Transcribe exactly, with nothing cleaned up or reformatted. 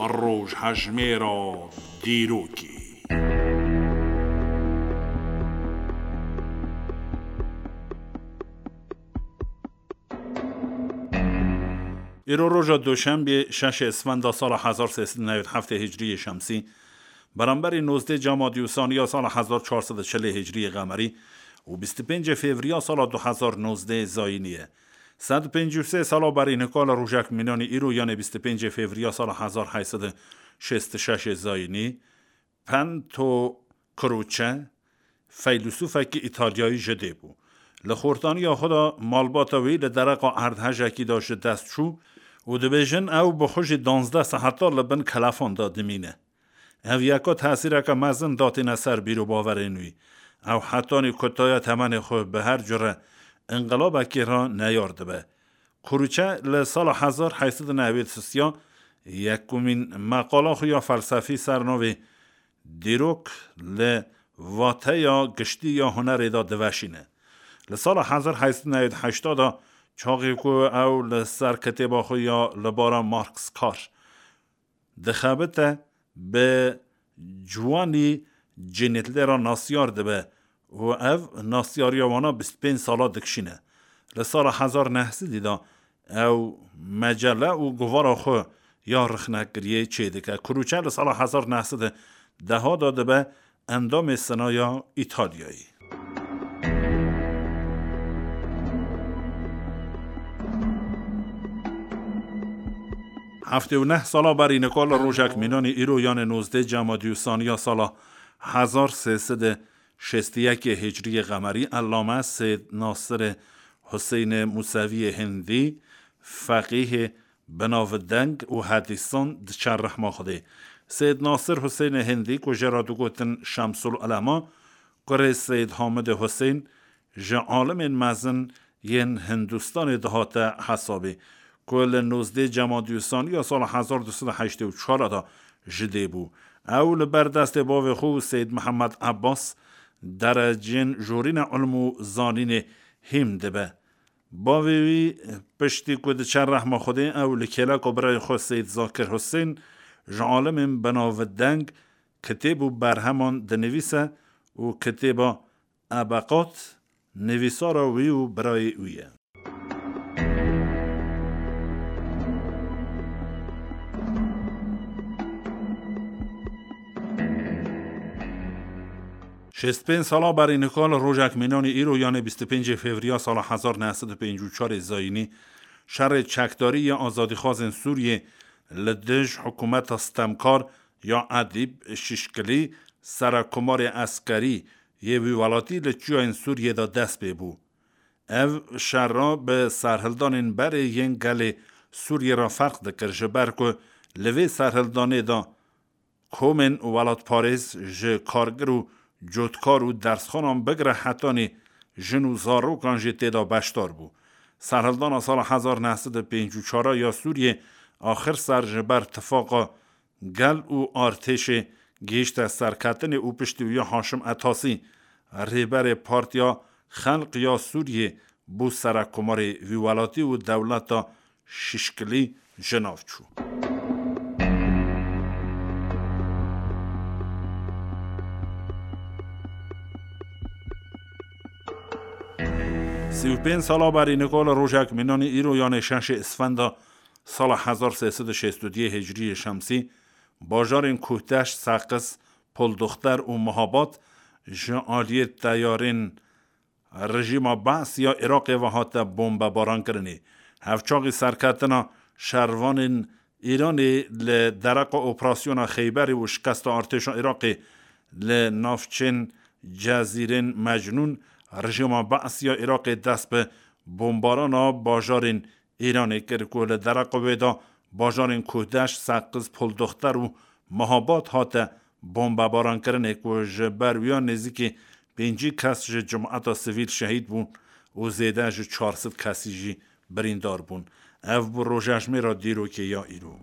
Rojhejmêra dîrokê. Îro roja Duşenbê, şeşê Isfenda sala hezar sê sed û newî heftê Hicriyê Şemsî, beramberî nozdeh Camadî û Saniya sala hezar çar sed û çilê Hicriyê Qemerî û bîst û pêncê Fevriya sala du hezar nozdeh Zayînî ye. Sed û pêncî û sê sala berî nika li rojek mînanî îro, yanê bîst û pêncê Fevriya sala hezar heyt sed û şêst û şeş Zayînî, Pento Croce, feylesûfekî Îtalyayî ji dê bû. Li xortaniya xwe de malbata wî li dereqa erdhejekî de ji dest çû û dibêjin ew bi xwe jî danzdeh saeta li bin kelefan de dimîne. Ev yeka tesîreke mezin datîne ser bîrobawerên wî. Ew hetanî kutaya temenê xwe bi her cure înqilabekê re neyar dibe. Kuruçe li sala hezar heyt sed û newêd sisiya yekumîn meqala xwe ya felsefî ser navê Dîrok li vateya giştî ya hunerê de diveşîne. Li sala hezar heyt sed û newêd heşta de, çaxê ku ew li ser kitêba xwe ya Li Bara Marx Kar dixebite, bi ciwanî Cinîtlê re nasyar dibe û ev nasyariya wana bîst pênc sala dikişîne. Li sala hezar neh sedî de ew mecele û govara xwe ya rixnekiriyê çêdike. Kuruçe li sala hezar neh sed û deh de dibe endamê Senaya Îtalyayê. Heftê û neh sala berî nika li rojek mînanî îro, yanê nozdeh Camadî û Saniya sala hezar sê sed û şêst û yekê Hicriyê Qemerî, Ellame Seyd Nasirê Huseynê Museviyê Hindî, feqîhê binavdeng û hedîsan diçe rehma Xwedê. Seyd Nasir Huseynê Hindî, ku jê re digotin Şemsul Ulema, kurê Seyd Hamidê Huseyn, ji alimên mezin yên Hindistanê dihate hesabê, ku li nozdeh Camadî û Saniya sala hezar du sed û heştê û çar de ji dê bû. Ew li ber destê bavê xwe û Seyd Mihemed Ebbas, derecên jorîna ilm û zanînê hîm dibe. Bavê wî, piştî ku diçe rehma Xwedê, ew li kêleka birayê xwe Seyd Zakir Husên, ji alimên binavdeng kitêb û berheman dinivîse û kitêba Ebeqat nivîsara wî û birayê wî ye. Şêst pênc sala berî nika li rojek mînanî îro, yanê bîst û pêncê Fevriya sala hezar neh sed û pêncî û çarê Zayînî, şerê çekdarî ya azadîxwazên Sûriyê li dij hikûmeta stemkar ya Edîb Şişkilî, serekkomarê eskerî yê wî welatî, li çiyayên Sûriyê de dest pê bû. Ev şera bi serhildanên berê yên gelê Sûriyê re ferq dikir, ji ber ku li vê serhildanê de komên welatparêz ji kargir û cotkar û dersxanan bigire hetanî jin û zarokan jî tê de beşdar bû. Serhildana sala hezar neh sed û pêncî û çar ya Sûriyê axir ser ji ber tifaqa gel û artêşê gihîşte serketinê û piştî wî ya Haşim Etasî, rêberê Partiya Xelq ya Sûriyê, bû serekkomarê wî welatî û dewleta Şişkilî ji nav çû. Sî û pênc sala berî nika li rojek mînanî îro, yanê şeşê Isfenda sala hezar sê sed û şêst û duyê Hicriyê Şemsî, bajarên Kuhdeş, Seqiz, Poldoxter û Mihabat ji aliyê teyarên rejîma Be'sî ya Iraqê ve hate bombebarankirinê. Hevçaxî serketina şervanên Îranê li dereqa operasyona Xeyberê û şikesta artêşa Iraqê li navçên Cezîrên Mecnûn, rejîma Be'sî ya Iraqê dest bi bombarana bajarên Îranê kir ku li dereqa wê de bajarên Kuhdeş, Seqiz, Poldoxter û Mihabat hate bombebarankirinê, ku ji ber wî ya nêzîkî pêncî kes ji cemaeta sivîl şehîd bûn û zêde ji çar sed kesî jî birîndar bûn. Ev bû rojejmêra dîrokê ya îro.